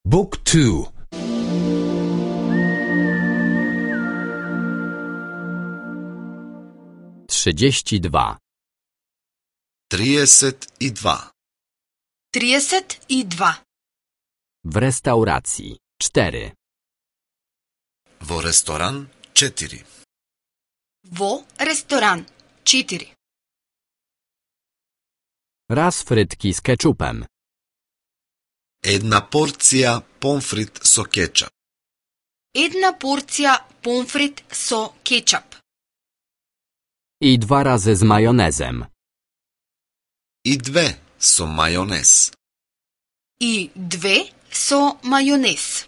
Book 2. 32. 32. 32. W restauracji 4. Во ресторан 4. Во ресторан 4. Raz frytki z keczupem. Една порција помфрит со кетчап. Една порција помфрит со кетчап. I 2 razy z majonezem. И 2 со мајонез. И 2 со мајонез.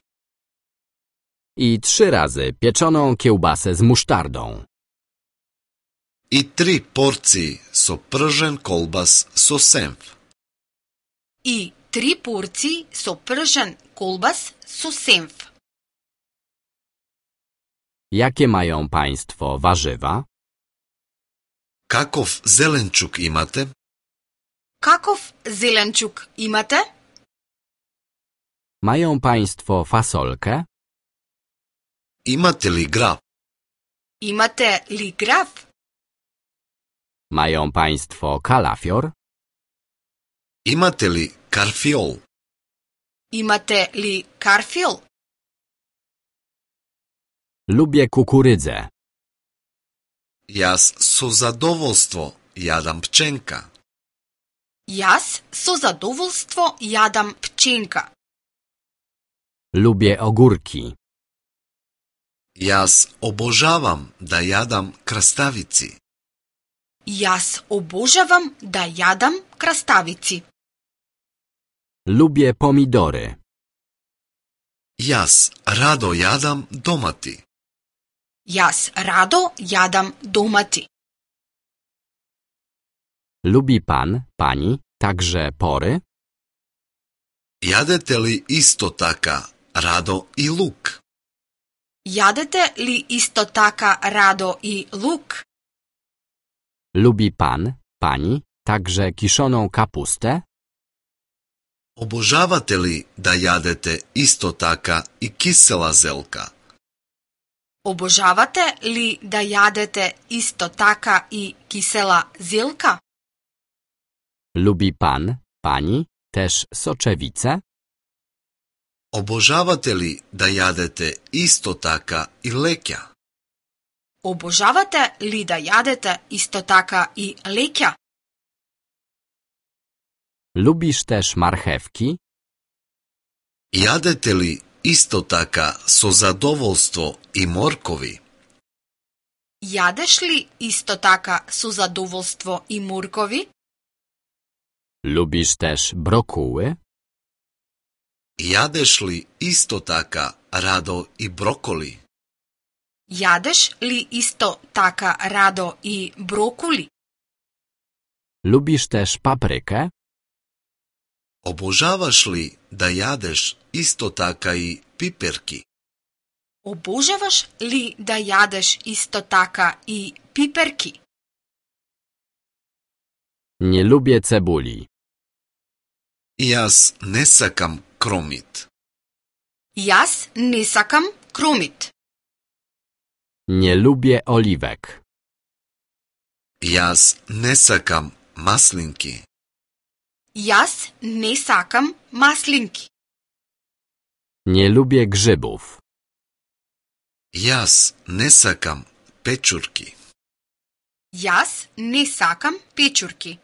I 3 razy pieczoną kiełbasę z musztardą. И 3 порции со пржен колбас со сенф. И 3 порции со пржен колбас со сенф. Jakie mają państwo warzywa? Каков зеленчук имате? Каков зеленчук имате? Mają państwo fasolkę? Имате ли граб? Имате ли граф? Mają państwo kalafior? Имате ли карфиол? Имате ли карфил? Lubię kukurydzę. Јас со задоволство јадам пченка. Јас со задоволство јадам пченка. Lubię ogórki. Јас обожавам да јадам краставици. Јас обожавам да јадам краставици. Lubię pomidory. Јас радо јадам домати. Јас радо јадам домати. Lubi pan, pani, także pory? Јадете ли исто така радо и лук? Јадете ли исто така радо и лук? Lubi pan, pani, także kiszoną kapustę? Обожавате ли да јадете исто така и кисела зелка? Обожавате ли да јадете исто така и кисела зелка? Lubi pan, pani, też soczewice? Обожавате ли да јадете исто така и леќа? Обожавате ли да јадете исто така и леќа? Lubisz też marchewki? Јадете ли исто така со задоволство и моркови? Јадеш ли исто така со задоволство и моркови? Lubisz też brokuły? Јадеш ли исто така радо и броколи? Јадеш ли исто така радо и брокули? Lubisz też paprykę? Обожаваш ли да јадеш исто така и пиперки? Обожаваш ли да јадеш исто така и пиперки? Nie lubię cebuli. Јас не сакам кромит. Јас не сакам кромит. Nie lubię oliwek. Јас не сакам маслинки. Јас не сакам маслинки. Nie lubię grzybów. Јас не сакам печурки. Јас не сакам печурки.